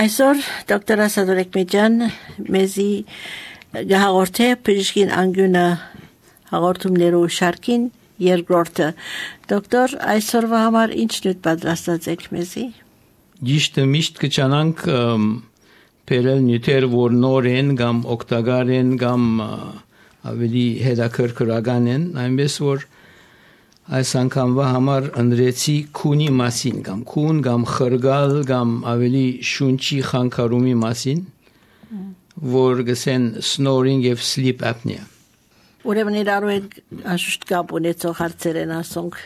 Այսօր դոկտոր Ասադոր Էկմեջան մեզի գահաղորդե բժշկին անգյունը հաղորդումներու շարքին երկրորդը։ Դոկտոր, այսօրվա համար ինչ նյութ պատրաստած եք մեզի։ Ճիշտ միշտ կչանանք բերել նյութեր, որ նոր են կամ օգտակար են կամ ավելի հետաքրքրական են, այնպես որ այս անգամվա համար ընդրեցի քունի մասին կամ քուն կամ խրգալ կամ ավելի շունչի խանգարումի մասին, որ գսեն snoring եւ sleep apnea։ Ուրեմն իրարու հետ անշուշտ կապ ունեցող հարցեր են ասոնք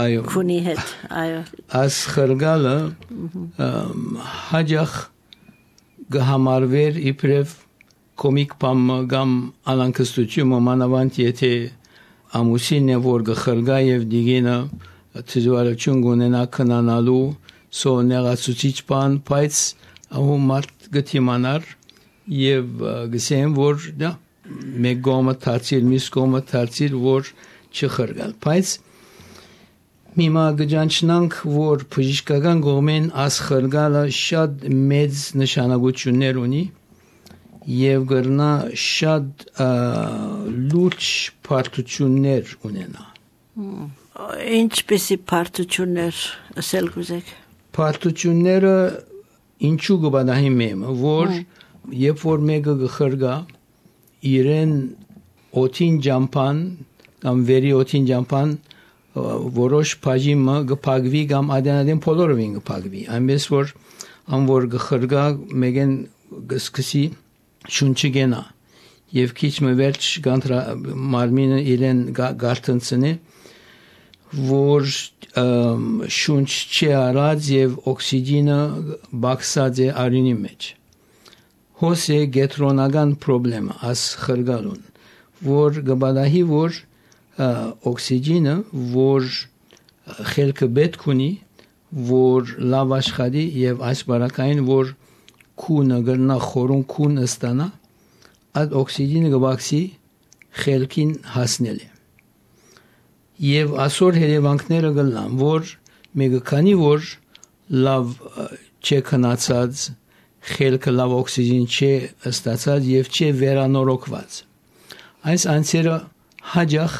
Այո։ քունի հետ, այո։ Այս խրգալը հաջող գհամարվեր իբրև կոմիկ բամ կամ անանկստություն մանավանդ եթե ամուսինն է որ գխրգա եւ դիգինը ծուարություն գունենա քնանալու սոներացուցիչ բան բայց ահու մարդ գտիմանար եւ գսեն որ դա մեկ գոմը թացիր միս գոմը թացիր որ չխրգալ բայց Միմա գճանչնանք որ բժշկական կողմեն աս խրգալը շատ մեծ նշանակություններ ունի եւ գրնա շատ լուրջ բարդություններ ունենա Ինչպիսի բարդություններ ասել գուզեք Բարդությունները ինչու գբադահի մեմը որ երբ որ մեկը գխրգա իրեն օթին ջամփան կամ վերի օթին ջամփան որոշ բաժիմը գփագվի կամ ադենադեն փոլորովին գփագվի այնպես որ անոր գխրգա մեկեն գսկսի շունչի գենա եւ քիչ մվերջ գանտրա մարմինը իրեն գարտնցնի որ շունչ չի արած եւ օքսիգենը բաքսած է արյունի մեջ հոսե գետրոնական խնդրեմ աս խրգալուն որ գբադահի որ օքսիգենը որ խելքը պետք ունի որ լավ աշխատի եւ այս բարակային որ քունը գրնա խորուն քուն ստանա այդ օքսիգենը գբաքսի խելքին հասնել է եւ ասոր հետևանքները գլան որ մեկը քանի որ լավ չէ քնացած խելքը լավ օքսիգեն չէ ստացած եւ չէ վերանորոգված այս անձերը հաջող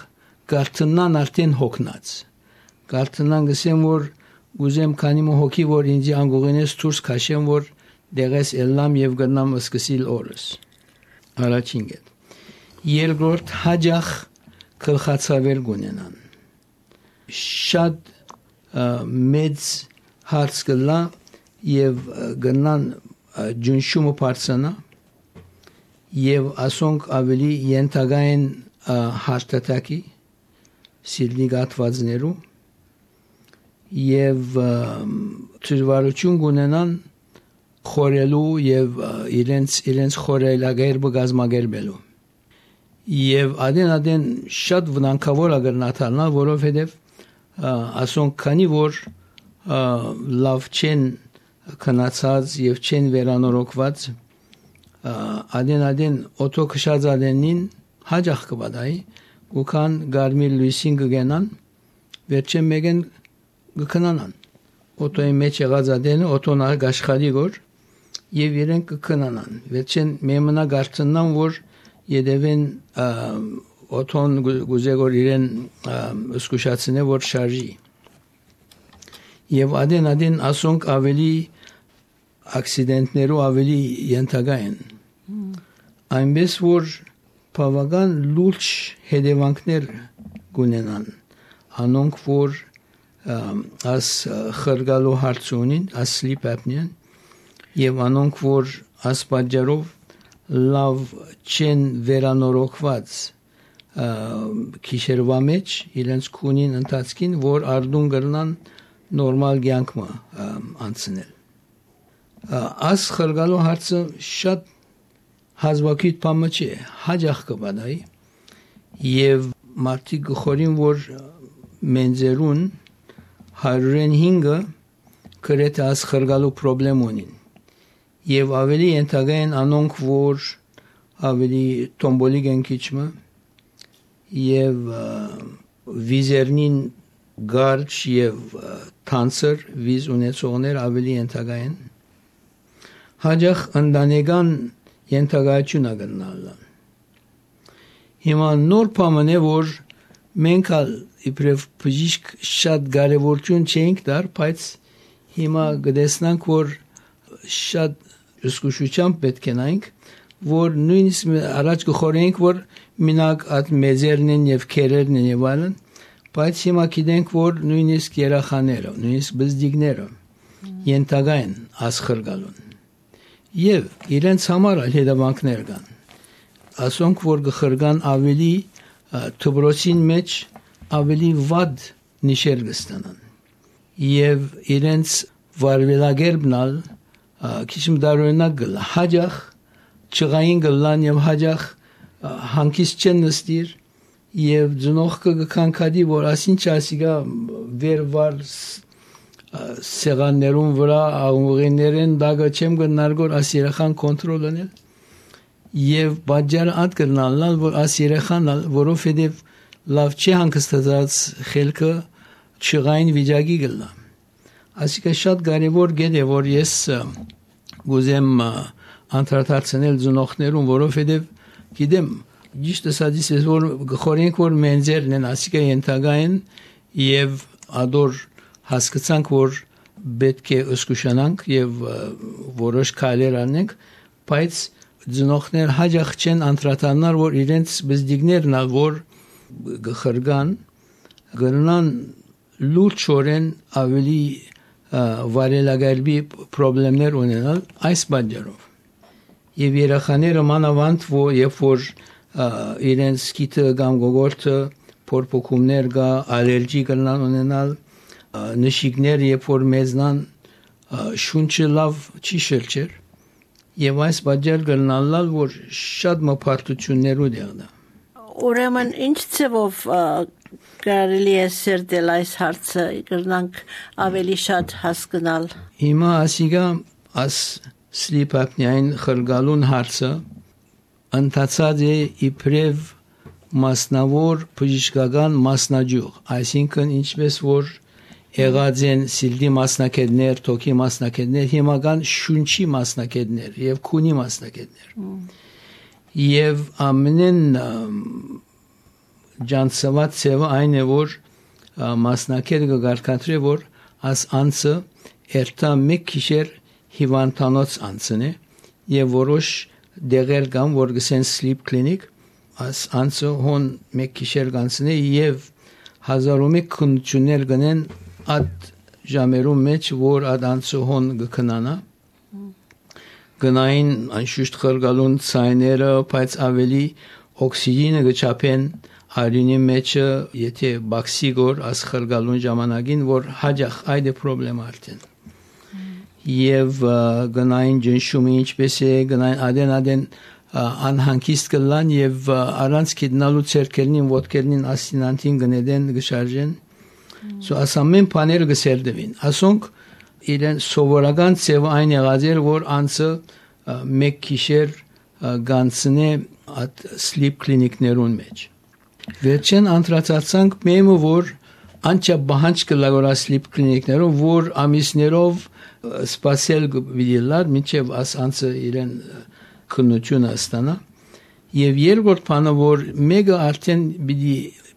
գարտնան արդեն հոգնած գարտնան գսեմ որ ուզեմ քանի հոգի որ ինձ անգողինես դուրս քաշեմ որ դեղես ելնամ եւ գնամ սկսիլ օրս առաջին գետ երկրորդ հաջող գլխացավեր գունենան շատ մեծ հարց գլա եւ գնան ջունշումը բարձանա եւ ասոնք ավելի ենթագային հարտատակի սիրնի գատվածներու եւ ծրվարություն գունենան խորելու եւ իրենց խորելագերբը գազմագերբելու եւ adեն շատ վնանկավոր ագրնաթալնա որովհետեւ ասոնք քանի որ լավ չեն քնացած եւ չեն վերանորոգված adեն օտո քշածադենին հաջող կբադայի ուքան գարմիր լույսին գգենան վերջեն մեկեն գքնանան օտոյի մեջ եղած adենը օտոն արգաշխալի գոր եւ իրենք կքնանան վերջեն մեմնա գարտնան որ Եդևեն օթոն գուզեգոր իրեն սկուշացնե որ շարժի եւ adեն ասոնք ավելի ակսիդենտներու ավելի ենթակա են այնպես որ բավական լուրջ հետևանքներ գունենան անոնք որ աս խրգալու հարցունին աս sleep apnea եւ անոնք որ աս պատճառով լավ չեն վերանորոգված քիշերվա մեջ իրենց քունին ընթացքին որ արդուն գրնան նորմալ կյանքը անցնել աս խրգալու հարցը շատ հազվագյուտ բան չէ հաջող կբադայի եւ մարդիկ գխորին որ մենձերուն 105-ը գրեթե աս խրգալու խնդրեմ ունին եւ ավելի ենթագային անոնք որ ավելի տոմբոլիկ են քիչմը եւ վիզերնին Garch եւ Tancer վիզ ունեցողներ ավելի ենթակա են հաջախ ընտանեկան ենթակայություն ագնալան։ Հիմա նոր բան է, որ մենք իբրև բժիշկ շատ կարևորություն չենք դար, բայց հիմա գտեսնանք, որ շատ զգուշությամբ պետք է նայենք, որ նույնիսկ առաջ գխորենք, որ մինակ այդ մեծերն են եւ քերերն են եւ այլն, բայց հիմա գիտենք, որ նույնիսկ երեխաները, նույնիսկ բզդիկները ենթակա են ասխրգալուն եւ իրենց համար հետևանքներ կան։ Ասոնք, որ գխրգան ավելի թբրոցին մեջ ավելի վատ նիշեր կստանան եւ իրենց վարվելագերբնալ քիչ դարօրինակ գլա հաջախ չղային գլան եւ հաջախ հանկիստ չեն նստիր եւ ծնողքը կքանքադի որ ասինչ ասիգա վերվար սեղաններուն վրա աղուղիներեն դագը չեմ գնարգոր աս երեխան կոնտրոլ անել եւ բաժարը ատ կնալալ որ աս երեխան որովհետեւ լավ չի հանգստած խելքը չղային վիճակի գլա ասիկա շատ կարևոր գետ է որ ես գուզեմ անդրադարձնել ծնողներուն որովհետեւ գիտեմ ճիշտ ասած ես որ խորենք որ մենձերն են ասիկա ենթակա են եւ ադոր հասկացանք որ պետք է ըսկուշանանք եւ որոշ քայլեր անենք բայց ծնողներ հաջող չեն անդրադառնալ որ իրենց բզդիկներն որ գխրգան գնան լուրջորեն ավելի վարելագարբի խնդիրներ ունենալ այս բաժարով եւ երեխաները մանավանդ որ իրենց գիտը կամ գողորտը փորփոքումներ գա ալերգի կնան ունենալ նշիկներ երբ որ մեզնան շունչը լավ չի շրջեր եւ այս բաժար կնալալ որ շատ մփարտություններ ունենա Ուրեմն ինչ ծավով կարելի է սերտել այս հարցը կրնանք ավելի շատ հասկանալ Հիմա ասիգա աս sleep apnea-ին խրգալուն հարցը ընթացած է իբրև մասնավոր բժշկական մասնաճյուղ այսինքն ինչպես որ եղած են սիլդի մասնակետներ, թոքի մասնակետներ, հիմական շունչի մասնակետներ եւ քունի մասնակետներ եւ ամենեն ջանցված ծավը այն է որ մասնակետը գարկատրի որ աս անցը երթա մեկ քիշեր հիվանդանոց անցն է եւ որոշ դեղեր կան որ գսեն sleep clinic աս անցը հոն մեկ քիշեր կանցն է եւ 1001 քննություններ գնեն Ad ժամերում մեջ որ adansı հոն գքնանա գնային անշուշտ խրգալուն ցայները բայց ավելի օքսիգենը գճապեն արյունի մեջ եթե բաքսիգոր աս խրգալուն ժամանակին որ հաջախ այդ է խնդրեմ արդեն եւ գնային ջնշումը ինչպես է գնային adեն անհանգիստ կլան եւ առանց գտնալու ցերկերնին ոտքերնին ասինանտին գնեդեն գշարժեն So ասամեն բաները գսերդվին ասոնք իրեն սովորական ծավը այն եղած էր որ անցը մեկ քիշեր գանցնե at sleep clinic-ներուն մեջ վերջեն անդրադարձանք մեմը որ անչա բահանջ կլագորա sleep clinic-ներում որ ամիսներով սպասել գվիլար մինչև աս անցը իրեն քննությունը ստանա եւ երկրորդ բանը որ մեգա արդեն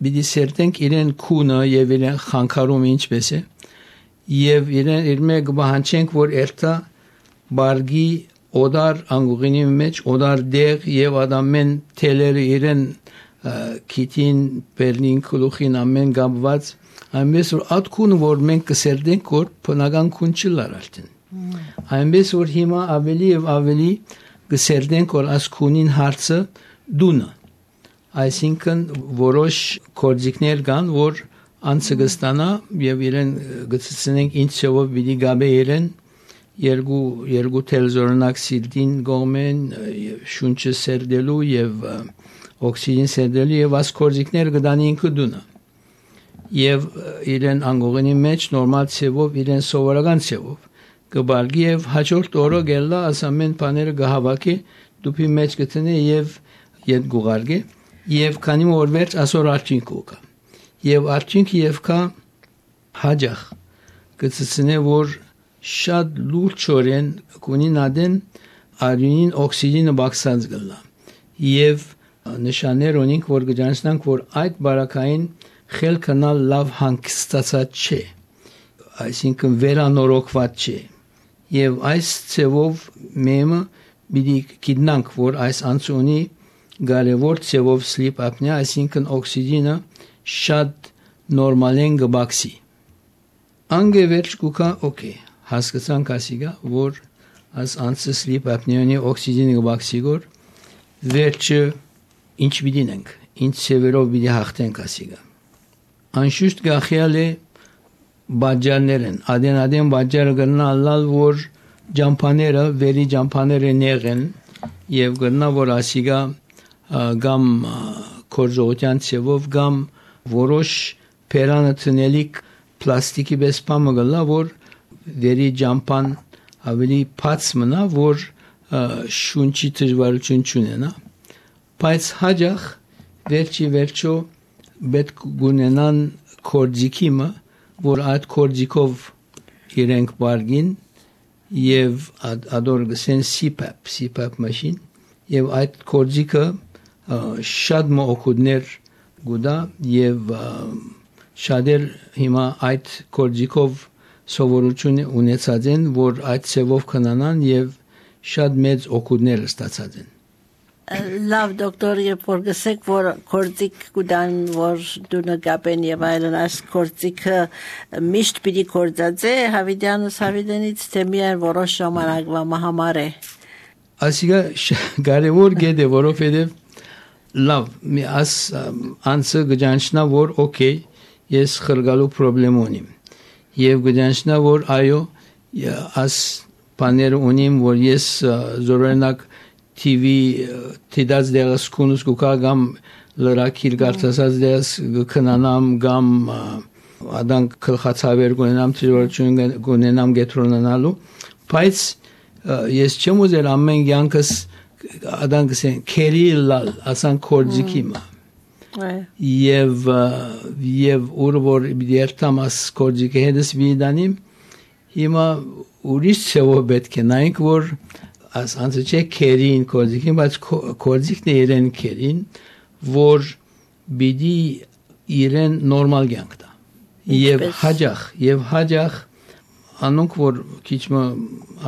Բիդի սերտենք իրեն քունը եւ իրեն խանգարում ինչպես է եւ իրեն իր մեկ բանջենք որ երթա բարգի օդար անգուղինի մեջ օդար դեղ եւ ադամեն թելերը իրեն քիթին բերնին կլուխին ամեն գաբված այնպես որ ատքուն որ մենք կսերտենք որ բնական քուն չլար արդեն այնպես որ հիմա ավելի եւ ավելի կսերտենք որ ասքունին հարցը դունը Այսինքն որոշ կորձիկներ կան, որ անցը կստանա եւ իրեն գծցնենք ինչ ծավով պիտի գաբե իրեն երկու թելզորնակ սիլդին գոմեն շունչը սերդելու եւ օքսիգեն սերդելու եւ աս կորձիկներ կդանին կդունա եւ իրեն անգողինի մեջ նորմալ ծավով իրեն սովորական ծավով կբարգի եւ հաջորդ օրը գելա ասամեն բաները գահավակի դուփի մեջ գտնի եւ իդ գուղարգի Եվ քանի որ վերջ ասոր արդյունք ուկա եւ արդյունքը եւ կա հաջախ գծցնե որ շատ լուրջորեն կունենան արյունին օքսիգենը բացած գլա եւ նշաններ ունենք որ գճանցնանք որ այդ բարակային խելքնալ լավ հանգստացած չէ այսինքն վերանորոգված չէ եւ այս ցևով մեմը պիտի գիտնանք որ այս անցունի կարևոր ցևով sleep apnea այսինքն օքսիգենը շատ նորմալեն գբաքսի անգևերջ կուկա օքեյ հասկացանք ասիգա որ as անցը sleep apnea-ի օքսիգենի գբաքսիգոր վերջը ինչ բիդինենք ինչ ցևերով բիդի հաղթենք ասիգա անշուշտ գախյալ է բաժարներն adեն բաժարը գնա ալալ որ ջամփաները վերի ջամփաները նեղեն եւ գնա որ ասիգա գամ կորժողության ցևով գամ որոշ պերանը տնելիք պլաստիկի բեսպամը գլա որ վերի ջամփան ավելի փած մնա որ շունչի դժվարություն չունենա բայց հաջող վերջո պետք գունենան կորձիկիմը որ այդ կորձիկով իրենք բարգին եւ ադոր գսեն CPAP մաշին եւ այդ կորձիկը շատ մոքուդներ գուդա եւ շատեր հիմա այդ կորձիկով սովորություն ունեցած են որ այդ ցևով քնանան եւ շատ մեծ օգուտներ ստացած են լավ դոկտոր երբ որ գսեք որ կորձիկ կուդան որ դու նկապեն եւ այլն այս կորձիկը միշտ պիտի կորձածե հավիդյանս հավիդենից թե միայն որոշ ժամանակվա համար է ասիգա կարևոր գետ է որովհետեւ լավ մի աս անցը գճանչնա որ օքեյ ես խրգալու պրոբլեմ ունիմ եւ գճանչնա որ այո աս բաներ ունիմ որ ես զորենակ TV տիդած դերս կունուս կուկա գամ լրակիր գարտասած դերս քնանամ գամ ադանք քլխացավեր գունենամ դժվարություն գունենամ գետրոնանալու բայց ես չեմ ուզել ամեն յանքս ադանք քերիլալ ասան կորձիկիմա եւ որ դերտամաս կորձիկը հետս վիդանիմ հիմա ուրիշ ցեվով պետք է նայենք որ as անցը չէ քերին կորձիկին բայց կորձիկն է իրեն քերին որ բիդի իրեն նորմալ կյանք տա եւ հաջող անոնք որ քիչ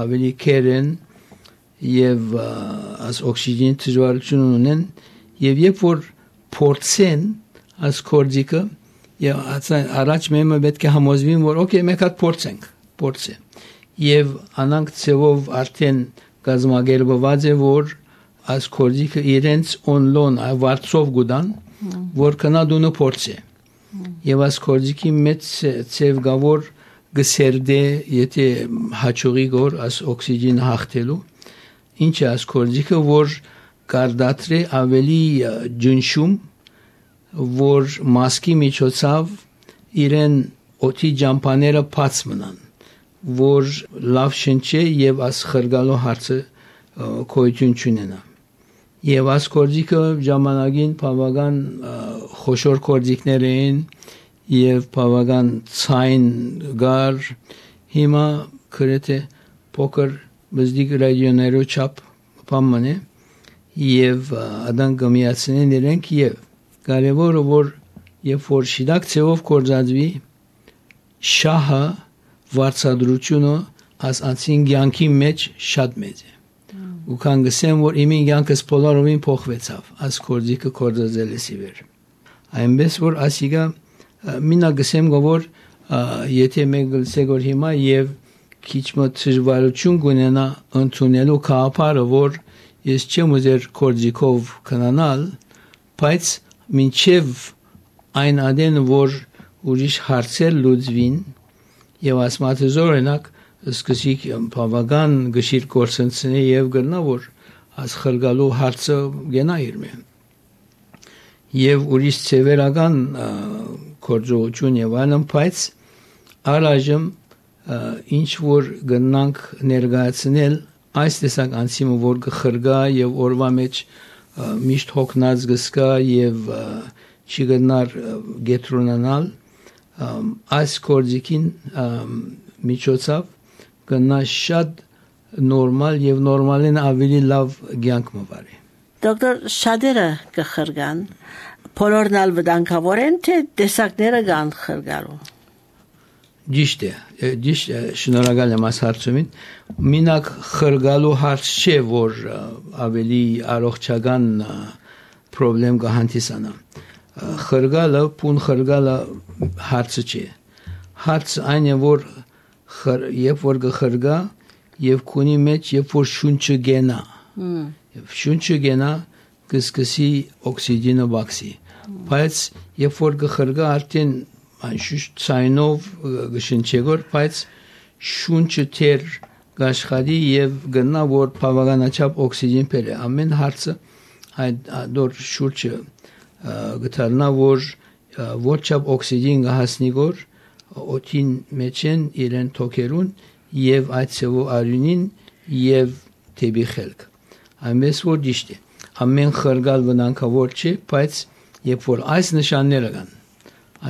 ավելի քերեն եւ as օքսիգեն դժվարություն ունեն եւ երբ որ փորձեն as կորձիկը եւ առաջ մեմը պետք է համոզվին որ օքեյ մենք հատ փորձե եւ անանք ցեվով արդեն գազմագերբված է որ as կորձիկը իրենց օնլոն ավարտով գուդան որ կնա դունը փորձե եւ as կորձիկի մեծ ցև գավոր գսերդե եթե հաճուղի գոր as օքսիգեն հաղթելու ինչ է as կորձիկը որ կարդատրե ավելի ջնշում որ մասկի միջոցով իրեն օթի ջամփաները փած մնան որ լավ շնչե եւ as խրգալու հարցը կոյություն չունենա եւ as կորձիկը ժամանակին բավական խոշոր կորձիկներ են եւ բավական ցայն գար հիմա քրեթե փոքր բզդիկ ռադիոներով չափ բամանը եւ ադան գմիացնեն իրենք եւ կարևորը որ երբ որ շիդակ ցեվով կորձածվի շահը վարչադրությունը as անցին ցանկի մեջ շատ մեծ է ու կան գսեմ որ իմին ցանկս պոլարովին փոխվեցավ as կորձիկը կորձածելսի վեր այնպես որ ասիգա մինա գսեմ որ եթե մենք գլսեգոր հիմա եւ քիչ մտժվարություն գունենա ընդունելու կապարը որ ես չեմ ուզեր կորձիկով քնանալ բայց մինչև այն ադեն որ ուրիշ հարցեր լուծվին եւ ասմաթեզորենակ սկսիկ բավական գշիր կորսենցնի եւ գտնա որ as խրգալու հարցը գնա իրմե եւ ուրիշ ցևերական կորձողություն եւ այլն բայց առայժմ ինչ որ գնանք ներկայացնել այս տեսակ անցիմը որ գխրգա եւ օրվա մեջ միշտ հոգնած գսկա եւ չի գնար գետրոնանալ այս կորձիկին միջոցով գնա շատ նորմալ եւ նորմալին ավելի լավ կյանք մվարի։ Դոկտոր, շատերը կխրգան, բոլորն ալ վտանգավոր են, թե տեսակները կան խրգալու։ Ճիշտ է, շնորհակալ եմ այս հարցումին։ Մինակ խրգալու հարց չէ, որ ավելի առողջական պրոբլեմ կհանդիսանա։ Խրգալը, պուն խրգալը հարցը չէ։ Հարցը այն է, որ երբ որ կխրգա եւ քունի մեջ երբ որ շունչը գենա եւ շունչը գենա կսկսի օքսիգենը վաքսի բայց երբ որ կխրգա արդեն ցայնով գշնչեգոր բայց շունչը թեր գաշխարի եւ գնա որ բավականաչափ օքսիգեն բերե ամեն հարցը այդ դոր շուրջը գտարնա որ ոչափ օքսիգեն գահասնի գոր օթին մեջեն իրեն թոքերուն եւ այդ ծովու արյունին եւ թեբի խելք այնպես որ ճիշտ է ամեն խրգալ վտանգավոր չէ բայց երբ որ այս նշանները կան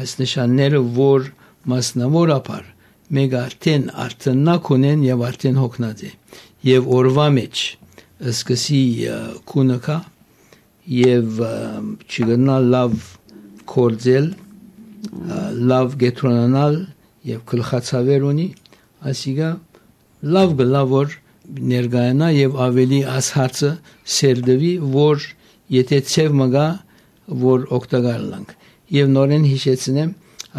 այս նշանները որ մասնավորապես մեկ արդեն արտնակ ունեն եւ արդեն հոգնած է եւ օրվա մեջ սկսի քունը կա եւ չգնա լավ կորձել լավ գետրոնանալ եւ գլխացավեր ունի ասիգա լավ գլավոր ներգայանա եւ ավելի աս հարցը սերդվի որ եթե ցև մգա որ օգտակար լանք եւ նորեն հիշեցնեմ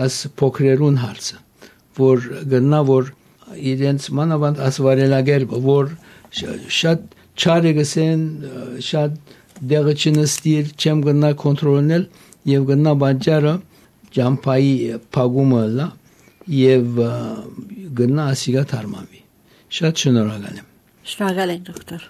աս փոքրերուն հարցը որ գնա որ իրենց մանավանդ աս վարելագերբը որ շատ չարը գսեն շատ դեղը չնստիր չեմ գնա կոնտրոլնել եւ գնա բանջարը ջամփայի փագումը լա եւ գնա ասիգա թարմամի շատ շնորհակալ եմ Շնորհակալ եմ դոկտոր